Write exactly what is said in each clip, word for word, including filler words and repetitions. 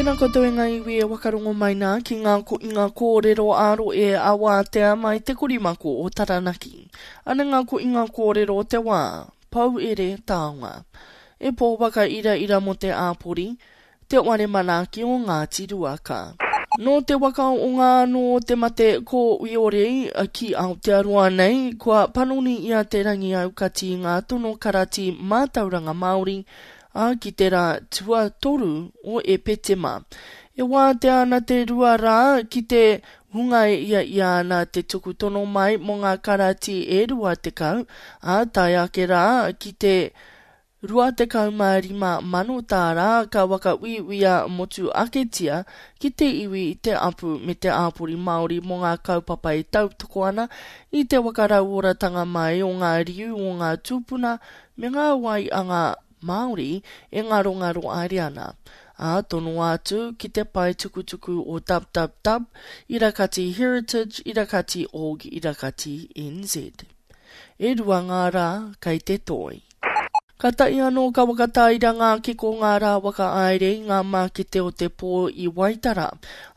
Tēnā koutou e ngā iwi e wakarongo mai nā ki ngā koinga kōrero ā-roe a Wātea mai te korimako o Taranaki. Ana ngā koinga kōrero o te wā, pou ere taonga. E pō waka ira ira mō te āpori, te ware manaaki o Ngāti Ruaka. Nō te waka o ngā anō o te mate kōiore ki Aotearoa nei, kua panoni i a Te Rangiaukati ngā tono karati mātauranga Māori, ā, ki te rā tuatoru o Epetema. E wātea ana te rua rā ki te hunga e ia ia ana te tuku tono mai mō ngā karati e rua tekau, ā, tae ake rā ki te rua tekau mā rima mano tāra ka whakauiuia motu aketia ki te iwi, te apu me te āpori Māori mō ngā kaupapa e tautoko ana i te whakarauoratanga mai o ngā riu o ngā tūpuna me ngā wai a ngā Māori e ngarongaro haere ana, ā, tonoa atu ki te pae tukutuku o www irakati heritage irakati org irakati nz. E rua ngā rā kei te toi. Kātahi anō ka whakatāira ngā kiko ngā rā whakahaere i ngā mākete o te pō i Waitara,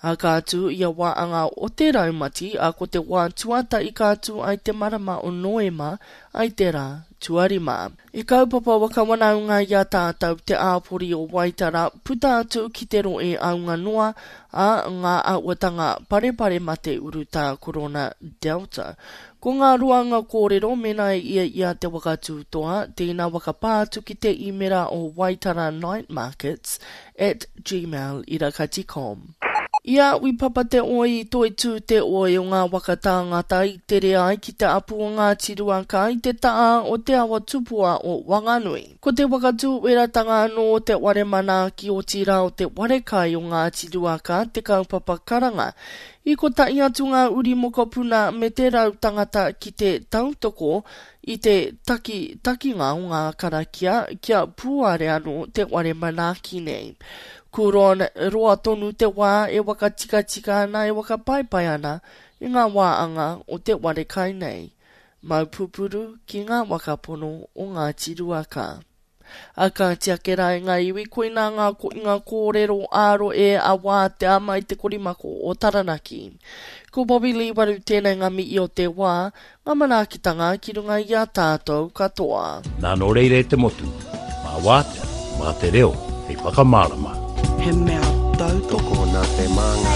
ā, ka tū ia wā anga o te raumati, ā, ko te wā tuatahi ka tū ai te marama o Noema ai te rā tuarima. I kaupapa whakawanaunga i a tātou te āpori o Waitara puta atu ki te rohe aunga noa, ā, ngā āhuatanga parepare mate urutā korona Delta. Ko ngā roanga kōrero mēnā e ia ia te waka tūtoa, tēnā whakapā atu ki te īmera o Waitara Night Markets at gmail irakati com. I a Wi Papa te oi i toitū te oi o ngā waka tāngata i tere ai ki te apu o Ngāti Ruaka i te taha o te awa tupua o Wanganui. Ko te whakatūweratanga anō o te ware manaaki otirā o te ware kai o Ngāti Ruaka te kaupapa karanga. I kotahi atu ngā uri mokopuna me te rau tangata ki te tautoko i te takitakinga o ngā karakia kia pūare anō te ware manaaki nei. Kuron, roa tonu te wā e whakatikatika ana, e whakapaipai ana i ngā wāanga o te ware kai nei. Mau pupuru ki ngā whakapono o Ngāti Ruaka. A kāti ake rā e ngā iwi, koinā ngā koinga kōrero ā-rohe a Wātea mai te korimako o Taranaki. Ko Bobby Lee Waru tēnei ngā mihi o te wā, ngā manaakitanga ki runga i a tātou katoa. Nā nō reira e te motu, mā Wātea, mā te reo, hei whakamārama. He mea tautoko. Tokona te māngai.